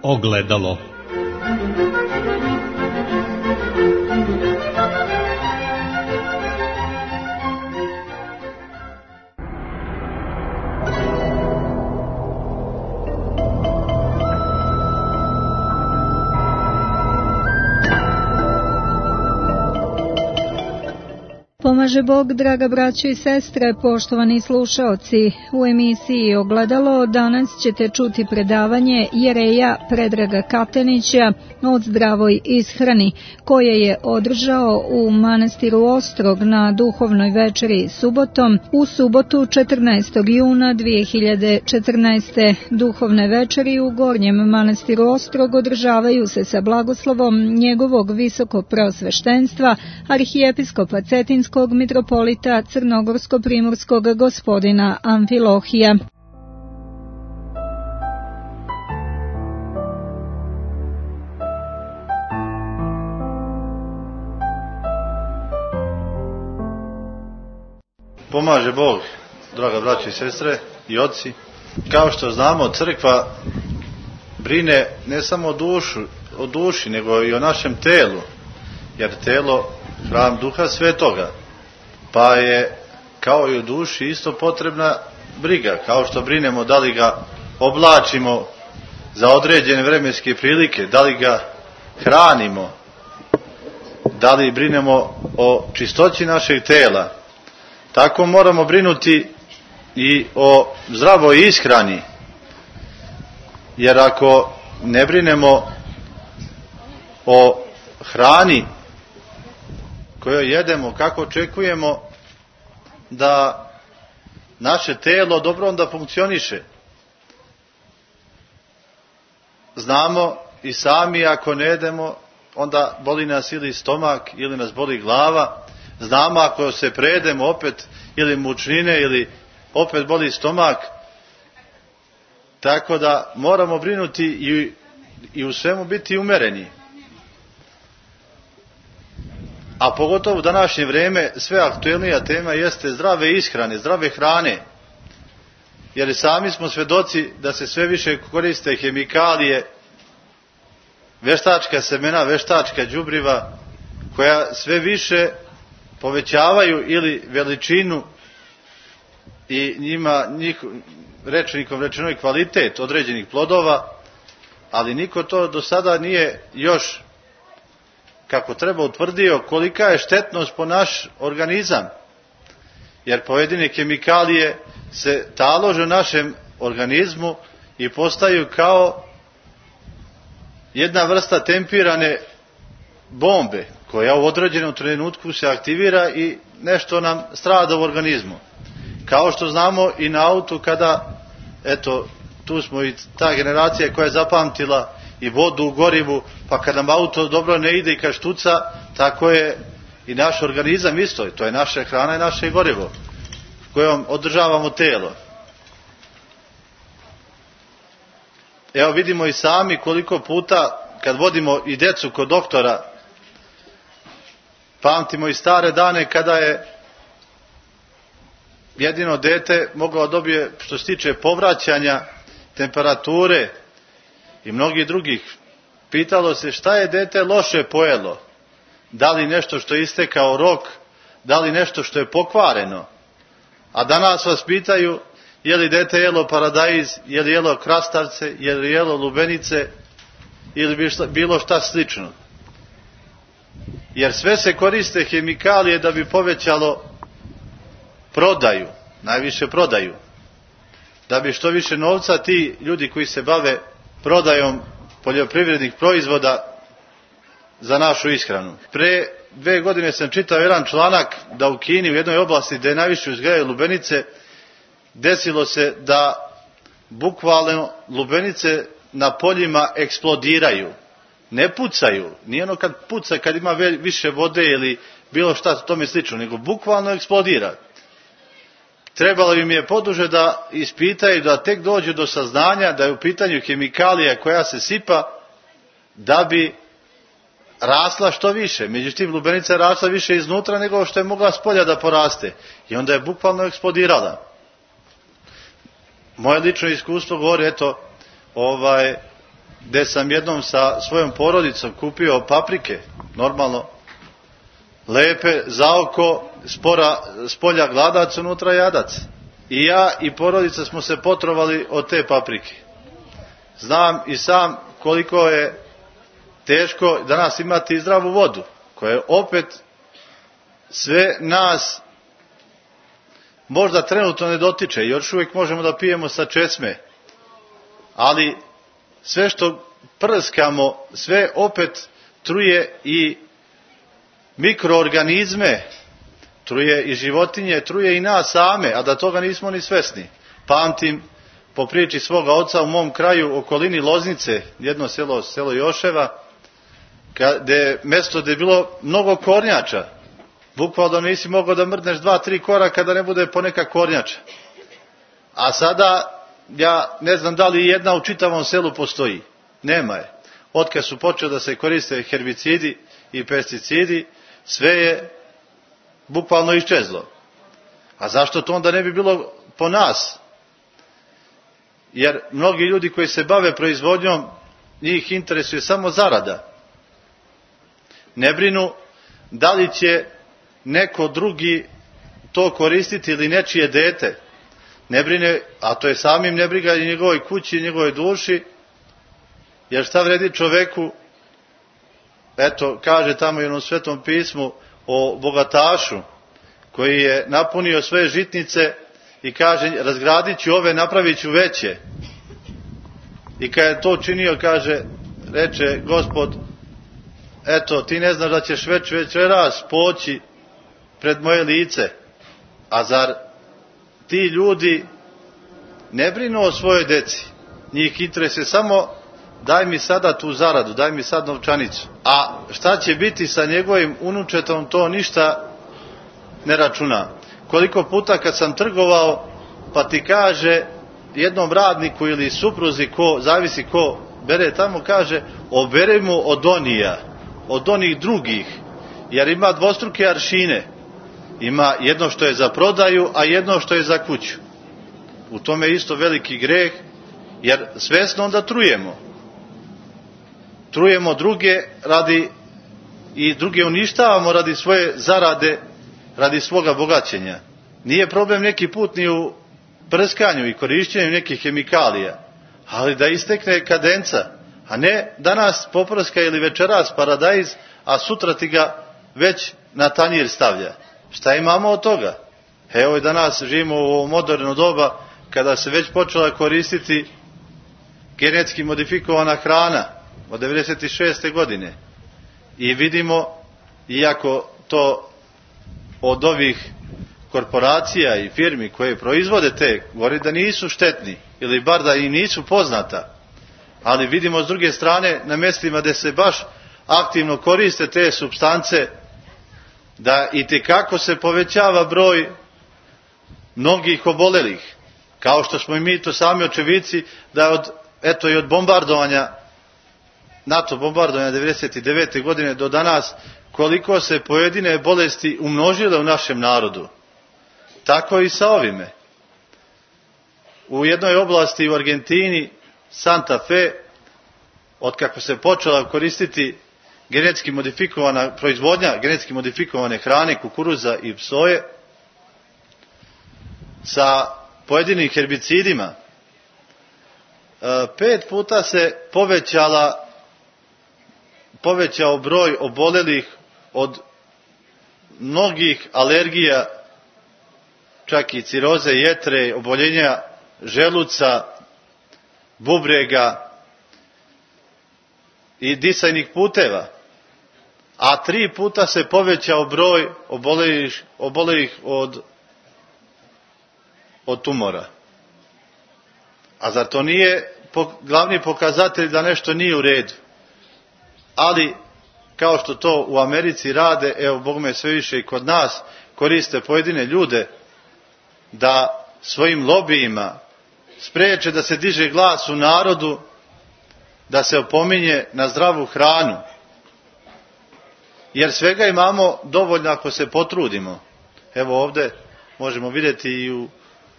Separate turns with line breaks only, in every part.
Ogledalo.
Pomaže Bog, draga braćo i sestre, poštovani slušaoci. U emisiji Ogledalo danas ćete čuti predavanje jereja Predraga Katanića o zdravoj ishrani, koje je održao u manastiru Ostrog na duhovnoj večeri subotom u subotu 14. juna 2014. Duhovne večeri u Gornjem manastiru Ostrog održavaju se sa blagoslovom njegovog visokopreosveštenstva arhijepiskopa Cetinskog mitropolita Crnogorsko-primorskog gospodina Amfilohija.
Pomaže Bog, draga braći i sestre i oci. Kao što znamo, crkva brine ne samo o duši, nego i o našem telu, jer telo hram Duha Svetoga, pa je kao i u duši isto potrebna briga, kao što brinemo da li ga oblačimo za određene vremenske prilike, da li ga hranimo, da li brinemo o čistoći našeg tela. Tako moramo brinuti i o zdravoj ishrani, jer ako ne brinemo o hrani koju jedemo, kako očekujemo da naše telo dobro onda funkcioniše? Znamo i sami, ako ne jedemo, onda boli nas ili stomak ili nas boli glava. Znamo ako se prejedemo opet ili mučnine ili opet boli stomak. Tako da moramo brinuti i u svemu biti umereni. A pogotovo u današnje vrijeme sve aktuelnija tema jeste zdrave ishrane, zdrave hrane. Jer sami smo svedoci da se sve više koriste hemikalije, veštačka semena, veštačka đubriva, koja sve više povećavaju ili veličinu i rečnikom rečeno i kvalitet određenih plodova, ali niko to do sada nije još kako treba utvrdio kolika je štetnost po naš organizam, jer pojedine hemikalije se talože u našem organizmu i postaju kao jedna vrsta tempirane bombe koja u određenom trenutku se aktivira i nešto nam strada u organizmu. Kao što znamo i na autu kada, eto, tu smo i ta generacija koja je zapamtila i vodu u gorivu, pa kad nam auto dobro ne ide i kad štuca, tako je i naš organizam isto. To je naša hrana i naše gorivo kojom održavamo telo. Evo vidimo i sami koliko puta kad vodimo i decu kod doktora, pamtimo i stare dane kada je jedino dete moglo dobije, što se tiče povraćanja, temperature i mnogih drugih, pitalo se šta je dete loše pojelo, da li nešto što je istekao rok, da li nešto što je pokvareno. A danas vas pitaju je li dete jelo paradajz, je li jelo krastavce, je li jelo lubenice ili bilo šta slično. Jer sve se koriste hemikalije da bi povećalo prodaju, najviše prodaju. Da bi što više novca ti ljudi koji se bave prodajom poljoprivrednih proizvoda za našu ishranu. Pre 2 godine sam čitao jedan članak da u Kini, u jednoj oblasti gdje najviše uzgajaju lubenice, desilo se da bukvalno lubenice na poljima eksplodiraju. Ne pucaju, nije ono kad puca, kad ima više vode ili bilo šta tome slično, nego bukvalno eksplodira. Trebalo im je poduže da ispitaju, da tek dođu do saznanja da je u pitanju hemikalija koja se sipa da bi rasla što više. Međutim, lubenica je rasla više iznutra nego što je mogla s polja da poraste. I onda je bukvalno eksplodirala. Moje lično iskustvo govori, eto, gdje sam jednom sa svojom porodicom kupio paprike, normalno, lepe, za oko, spolja gladac, unutra jadac. I ja i porodica smo se potrovali od te paprike. Znam i sam koliko je teško danas imati zdravu vodu, koja je opet sve nas možda trenutno ne dotiče, još uvijek možemo da pijemo sa česme, ali sve što prskamo, sve opet truje i mikroorganizme, truje i životinje, truje i nas same, a da toga nismo ni svesni. Pamtim po priči svoga oca u mom kraju, okolini Loznice, jedno selo Joševa, mjesto gdje je bilo mnogo kornjača. Bukvalno nisi mogao da mrdneš 2-3 koraka da ne bude poneka kornjača. A sada, ja ne znam da li jedna u čitavom selu postoji. Nema je. Otkad su počeli da se koriste herbicidi i pesticidi, sve je bukvalno iščezlo. A zašto to onda ne bi bilo po nas? Jer mnogi ljudi koji se bave proizvodnjom, njih interesuje samo zarada. Ne brinu da li će neko drugi to koristiti ili nečije dete. Ne brine, a to je samim ne briga i njegovoj kući i njegovoj duši, jer šta vredi čoveku, eto, kaže tamo i u Svetom pismu o bogatašu, koji je napunio svoje žitnice i kaže, razgradit ću ove, napravit ću veće. I kad je to učinio, kaže, reče Gospod, eto, ti ne znaš da ćeš večeras poći pred moje lice. A zar ti ljudi ne brinu o svojoj deci? Njih interesuje samo daj mi sada tu zaradu, daj mi sad novčanicu. A šta će biti sa njegovim unučetom, to ništa ne računa. Koliko puta kad sam trgovao, pa ti kaže jednom radniku ili supruzi, zavisi ko bere tamo, kaže, oberemo od onija, od onih drugih, jer ima dvostruke aršine. Ima jedno što je za prodaju, a jedno što je za kuću. U tome je isto veliki greh, jer svesno onda trujemo. Trujemo druge i druge uništavamo radi svoje zarade, radi svoga bogaćenja. Nije problem neki put ni u prskanju i korišćenju nekih hemikalija, ali da istekne kadenca, a ne danas poprska ili večeras paradajz, a sutra ti ga već na tanjir stavlja. Šta imamo od toga? Evo i danas živimo u ovo moderno doba kada se već počela koristiti genetski modifikovana hrana od 1996. godine. I vidimo, iako to od ovih korporacija i firmi koje proizvode te, govori da nisu štetni ili bar da i nisu poznata, ali vidimo s druge strane na mjestima gdje se baš aktivno koriste te supstance, da itekako se povećava broj mnogih obolelih, kao što smo i mi to sami očevici, da i od bombardovanja, NATO bombardovanja 1999. godine do danas, koliko se pojedine bolesti umnožile u našem narodu. Tako i sa ovime. U jednoj oblasti u Argentini, Santa Fe, otkako se počela koristiti genetski modifikovana proizvodnja, genetski modifikovane hrane, kukuruza i soje, sa pojedinim herbicidima, 5 puta se povećao broj obolelih od mnogih alergija, čak i ciroze jetre, oboljenja želuca, bubrega i disajnih puteva. A 3 puta se povećao broj obolelih od tumora. A zar to nije glavni pokazatelj da nešto nije u redu? Ali, kao što to u Americi rade, evo bogme sve više i kod nas, koriste pojedine ljude da svojim lobijima spriječe da se diže glas u narodu, da se opominje na zdravu hranu. Jer svega imamo dovoljno ako se potrudimo. Evo ovdje možemo vidjeti i u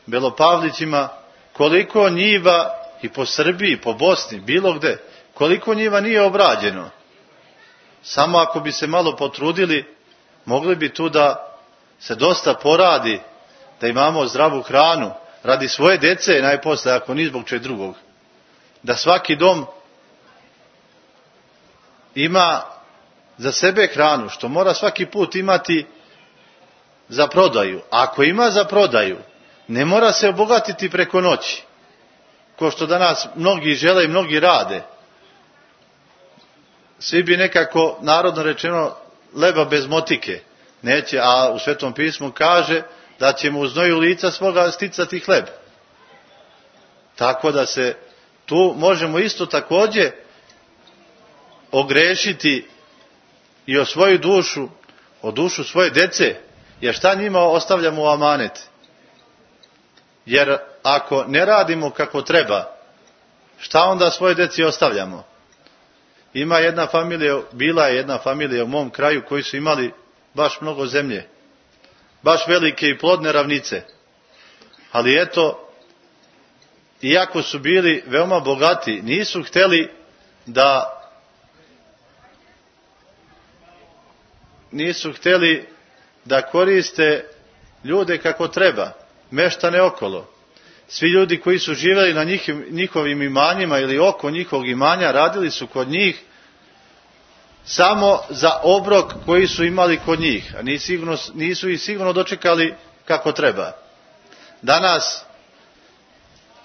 Belopavlićima koliko njiva i po Srbiji, po Bosni, bilo gde, koliko njiva nije obrađeno. Samo ako bi se malo potrudili, mogli bi tu da se dosta poradi, da imamo zdravu hranu, radi svoje dece najposle, ako ni zbog čeg drugog. Da svaki dom ima za sebe hranu, što mora svaki put imati za prodaju. Ako ima za prodaju, ne mora se obogatiti preko noći, ko što danas mnogi žele i mnogi rade. Svi bi nekako, narodno rečeno, leba bez motike. Neće, a u Svetom pismu kaže da ćemo u znoju lica svoga sticati hleb. Tako da se tu možemo isto također ogrešiti i o svoju dušu, o dušu svoje dece, jer šta njima ostavljamo u amanet? Jer ako ne radimo kako treba, šta onda svoje deci ostavljamo? Ima jedna familija, bila je jedna familija u mom kraju koji su imali baš mnogo zemlje, baš velike i plodne ravnice. Ali eto, iako su bili veoma bogati, nisu htjeli da koriste ljude kako treba, meštane okolo. Svi ljudi koji su živjeli na njihovim imanjima ili oko njihovog imanja, radili su kod njih samo za obrok koji su imali kod njih, a nisu ih sigurno dočekali kako treba. Danas,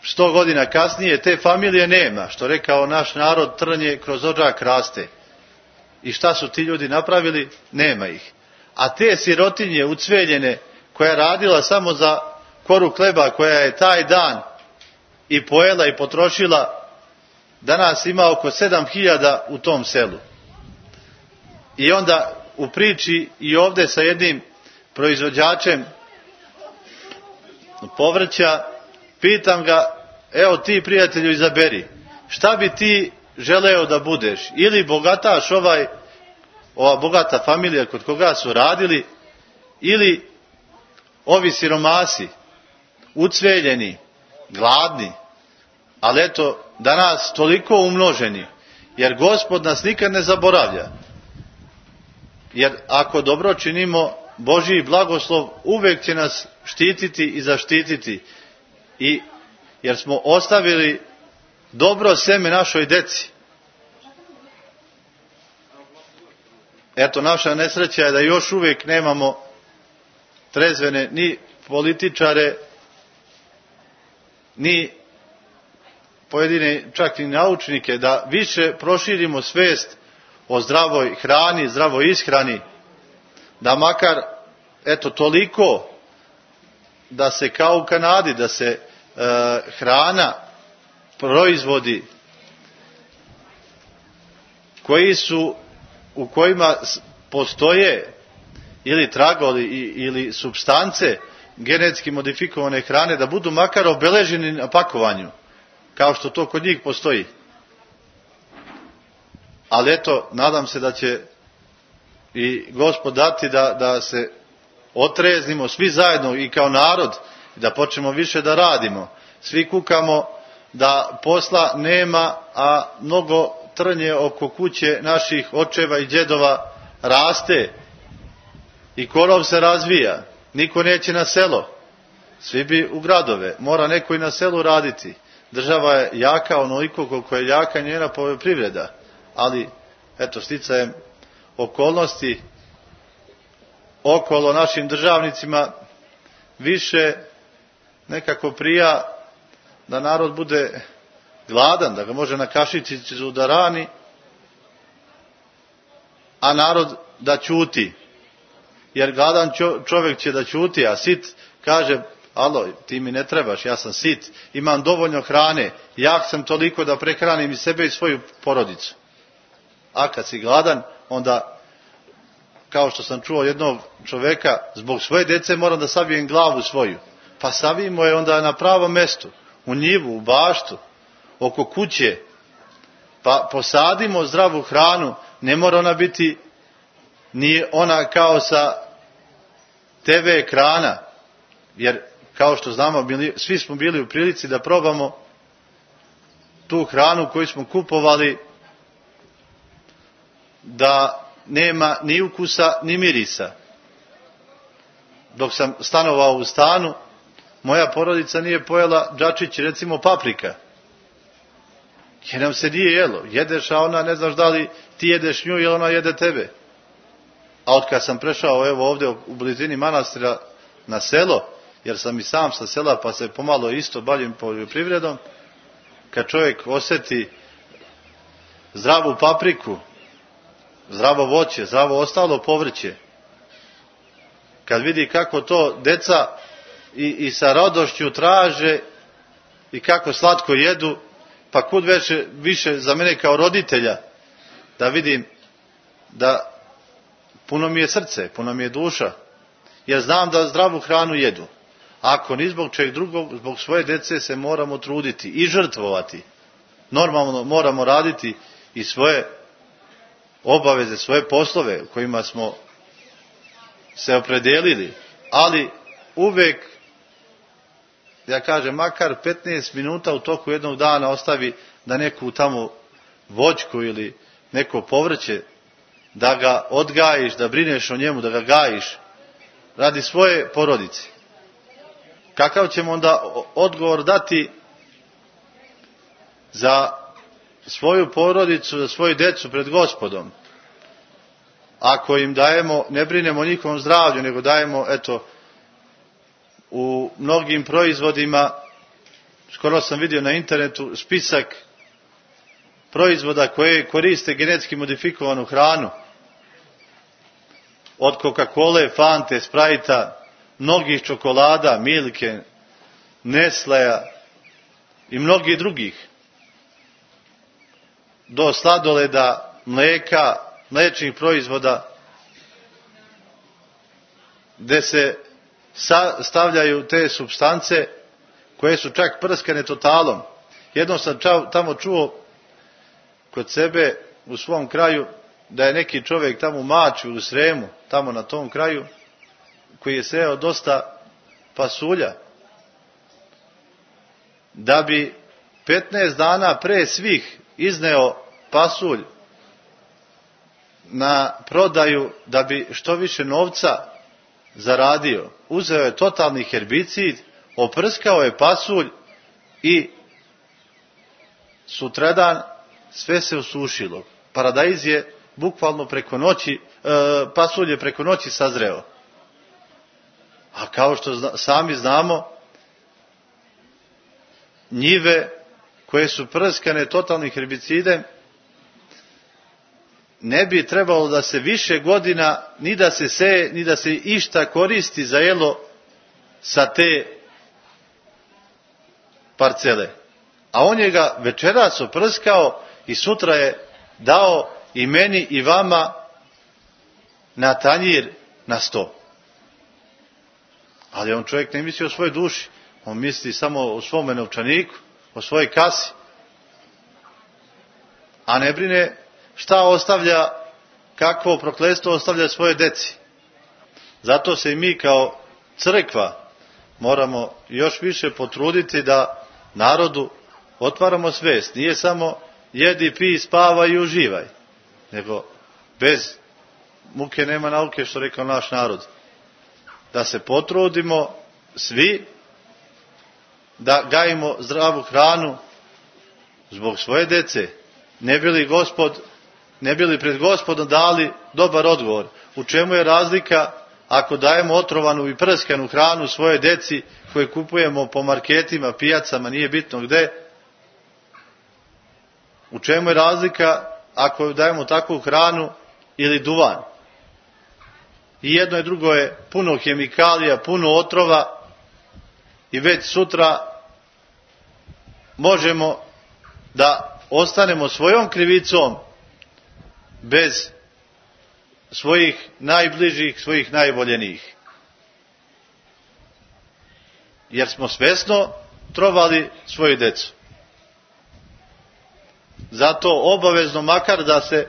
100 godina kasnije, te familije nema, što rekao naš narod, trnje kroz odžak raste. I šta su ti ljudi napravili? Nema ih. A te sirotinje ucveljene, koja je radila samo za koru hleba, koja je taj dan i pojela i potrošila, danas ima oko 7.000 u tom selu. I onda u priči i ovdje sa jednim proizvođačem povrća, pitam ga, evo ti prijatelju izaberi, šta bi ti želeo da budeš? Ili bogataš ova bogata familija kod koga su radili, ili ovi siromasi, ucveljeni, gladni, ali eto, danas toliko umnoženi, jer Gospod nas nikad ne zaboravlja. Jer ako dobro činimo, Božji blagoslov uvijek će nas štititi i zaštititi. Jer smo ostavili dobro seme našoj deci. Eto, naša nesreća je da još uvijek nemamo trezvene ni političare, ni pojedine čak i naučnike, da više proširimo svijest o zdravoj hrani, zdravoj ishrani, da makar, eto, toliko da se kao u Kanadi, da se hrana, proizvodi u kojima postoje ili tragovi ili supstance genetski modifikovane hrane, da budu makar obeleženi na pakovanju, kao što to kod njih postoji. Ali eto, nadam se da će i Gospod dati da se otreznimo svi zajedno i kao narod, da počnemo više da radimo. Svi kukamo da posla nema, a mnogo trnje oko kuće naših očeva i djedova raste i korov se razvija. Niko neće na selo, svi bi u gradove. Mora neko i na selu raditi. Država je jaka onoliko koliko je jaka njena poljoprivreda, ali eto, sticajem okolnosti okolo našim državnicima više nekako prija da narod bude gladan, da ga može na kašičicu da rani, a narod da ćuti. Jer gladan čovjek će da ćuti, a sit kaže, alo, ti mi ne trebaš, ja sam sit, imam dovoljno hrane, jak sam toliko da prehranim i sebe i svoju porodicu. A kad si gladan, onda, kao što sam čuo jednog čovjeka, zbog svoje dece moram da savijem glavu svoju. Pa savijemo je onda na pravom mjestu, u njivu, u baštu, oko kuće, pa posadimo zdravu hranu, ne mora ona biti ni ona kao sa TV ekrana, jer kao što znamo, svi smo bili u prilici da probamo tu hranu koju smo kupovali da nema ni ukusa ni mirisa. Dok sam stanovao u stanu, moja porodica nije pojela džačić, recimo paprika. Jer nam se nije jelo. Jedeš, a ona ne znaš da li ti jedeš nju ili ona jede tebe. A od kad sam prešao evo ovdje u blizini manastira na selo, jer sam i sam sa sela pa se pomalo isto bavim poljoprivredom, kad čovjek osjeti zdravu papriku, zdravo voće, zdravo ostalo povrće, kad vidi kako to deca i sa radošću traže i kako slatko jedu, pa kud više za mene kao roditelja da vidim da puno mi je srce, puno mi je duša, jer znam da zdravu hranu jedu. Ako ni zbog čeg drugog, zbog svoje djece se moramo truditi i žrtvovati. Normalno moramo raditi i svoje obaveze, svoje poslove kojima smo se opredelili, ali uvijek, ja kažem, makar 15 minuta u toku jednog dana ostavi da neku tamo voćku ili neko povrće, da ga odgajiš, da brineš o njemu, da ga gajiš radi svoje porodice. Kakav ćemo onda odgovor dati za svoju porodicu, za svoju djecu pred Gospodom? Ako im dajemo, ne brinemo o njihovom zdravlju, nego dajemo, eto, u mnogim proizvodima, skoro sam vidio na internetu spisak proizvoda koje koriste genetski modifikovanu hranu. Od Coca-Cola, Fante, Sprite-a, mnogih čokolada, Milke, Nestlea i mnogih drugih. Do sladoleda, mlijeka, mliječnih proizvoda, gdje se stavljaju te supstance koje su čak prskane totalom. Jednom sam tamo čuo kod sebe u svom kraju da je neki čovjek tamo u Maču, u Sremu, tamo na tom kraju, koji je sejao dosta pasulja, da bi 15 dana pre svih izneo pasulj na prodaju, da bi što više novca zaradio. Uzeo je totalni herbicid, oprskao je pasulj i sutradan sve se osušilo. Paradajz je bukvalno preko noći, pasulj je preko noći sazreo. A kao što sami znamo, njive koje su prskane totalnim herbicidem, ne bi trebalo da se više godina ni da se seje, ni da se išta koristi za jelo sa te parcele. A on je ga večeras oprskao i sutra je dao i meni i vama na tanjir, na sto. Ali on čovjek ne misli o svojoj duši, on misli samo o svome novčaniku, o svojoj kasi. A ne brine šta ostavlja, kakvo prokletstvo ostavlja svoje deci. Zato se i mi kao crkva moramo još više potruditi da narodu otvaramo svest. Nije samo jedi, pij, spavaj i uživaj, nego bez muke nema nauke, što rekao naš narod. Da se potrudimo svi da gajimo zdravu hranu zbog svoje dece, ne bi li pred Gospodom dali dobar odgovor. U čemu je razlika ako dajemo otrovanu i prskanu hranu svoje deci koje kupujemo po marketima, pijacama, nije bitno gde? U čemu je razlika ako dajemo takvu hranu ili duvan? I jedno i drugo je puno hemikalija, puno otrova i već sutra možemo da ostanemo svojom krivicom bez svojih najbližih, svojih najvoljenijih. Jer smo svesno trovali svoju decu. Zato obavezno, makar da se,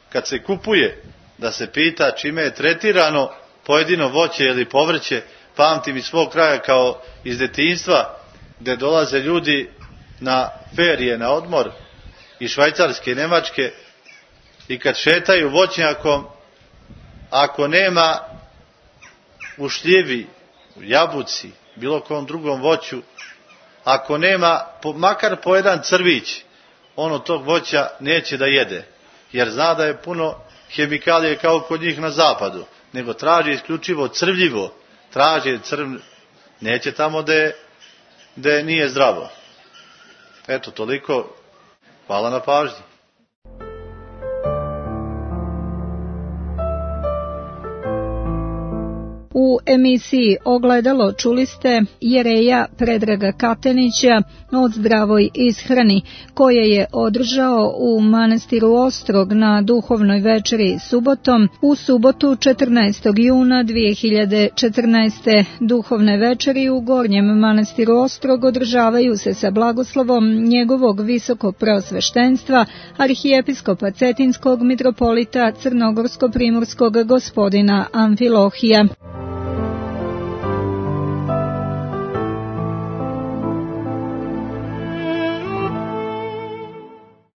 kad se kupuje, da se pita čime je tretirano pojedino voće ili povrće. Pamtim iz svog kraja kao iz detinjstva, gdje dolaze ljudi na ferije, na odmor iz Švajcarske, Njemačke, i kad šetaju voćnjakom, ako nema u šljivi, u jabuci, bilo kom drugom voću, ako nema makar po jedan crvić, on od tog voća neće da jede, jer zna da je puno hemikalije kao kod njih na zapadu, nego traži isključivo crvljivo, traži neće tamo da nije zdravo. Eto, toliko. Hvala na pažnji.
U emisiji Ogledalo čuli ste jereja Predraga Katenića o zdravoj ishrani, koje je održao u manastiru Ostrog na duhovnoj večeri subotom u subotu 14. juna 2014. Duhovne večeri u Gornjem manastiru Ostrog održavaju se sa blagoslovom njegovog visokopreosveštenstva arhijepiskopa Cetinskog mitropolita Crnogorsko-primorskog gospodina Amfilohija.